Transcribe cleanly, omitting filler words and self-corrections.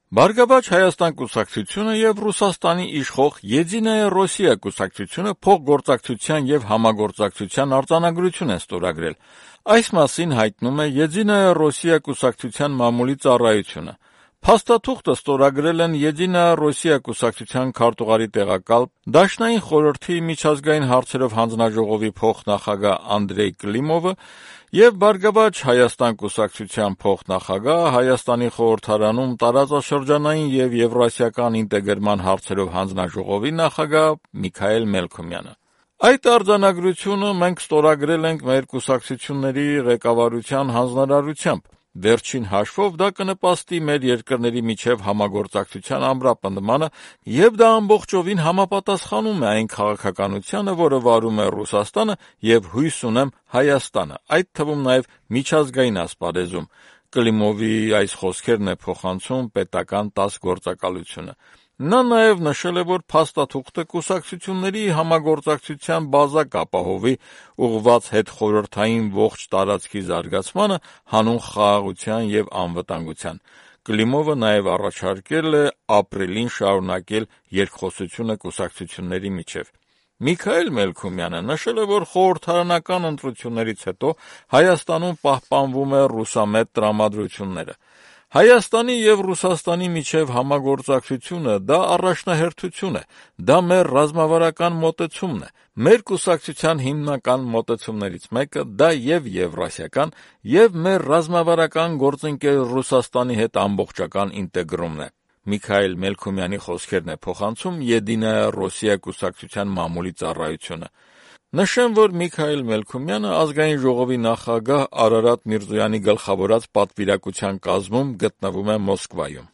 Բարգավաճ Հայաստան կուսակցությունը եւ Ռուսաստանի իշխող Եդինայա Ռոսիա կուսակցությունը փոխգործակցության եւ համագործակցության արձանագրություն են ստորագրել։ Այս մասին հայտնում է Եդինայա Ռոսիա կուսակցության մամուլի ծառայությունը։ Փաստաթուղթը ստորագրել են Եդինայա Ռոսիա կուսակցության քարտուղարի տեղակալ, Դաշնային խորհրդի միջազգային հարցերով հանձնաժողովի փոխնախագահ Անդրեյ Կլիմովը եւ Բարգավաճ Հայաստան կուսակցության փոխնախագահ, Հայաստանի խորհրդարանում տարածաշրջանային եւ եվրասիական ինտեգրման հարցերով հանձնաժողովի նախագահ Միքայել Մելքոմյանը։ Այդ արձանագրությունը մենք ստորագրել ենք մեր կուսակցությունների ղեկավարության հանձնարարությամբ։ Վերջին հաշվով դա կնպաստի մեր երկրների միջև համագործակցության ամրապնդմանը եւ դա ամբողջովին համապատասխանում է այն քաղաքականությանը, որը վարում է Ռուսաստանը եւ հույս ունեմ Հայաստանը, այդ թվում նաեւ միջազգային ասպարեզում։ Կլիմովի այս խոսքերն է փոխանցում պետական ՏԱՍՍ գործակալությունը։ Նա նաև նշել է, որ փաստաթուղթը կուսակցությունների համագործակցության բազա կապահովի ուղղված հետխորհրդային ողջ տարածքի զարգացմանը, հանուն խաղաղության եւ անվտանգության։ Կլիմովը նաև առաջարկել է ապրիլին շարունակել երկխոսությունը կուսակցությունների միջև։ Միքայել Մելքոմյանը նշել է, որ խորհրդարանական ընտրություններից հետո Հայաստանում պահպանվում է ռուսամետ տրամադրությունները։ Հայաստանի եւ Ռուսաստանի միջև համագործակցությունը դա առաջնահերթություն է, դա մեր ռազմավարական մոտեցումն է։ Մեր կուսակցության հիմնական մոտեցումներից մեկը դա եւ եվրասիական եւ մեր ռազմավարական գործընկեր Ռուսաստանի հետ ամբողջական ինտեգրումն է։ Միքայել Մելքոմյանի խոսքերն է փոխանցում Եդինայա Ռոսիա կուսակցության մամուլի ծառայությունը։ Նշեմ, որ Միքայել Մելքոմյանը Ազգային ժողովի նախագահ Արարատ Միրզոյանի գլխավորած պատվիրակության կազմում գտնվում է Մոսկվայում։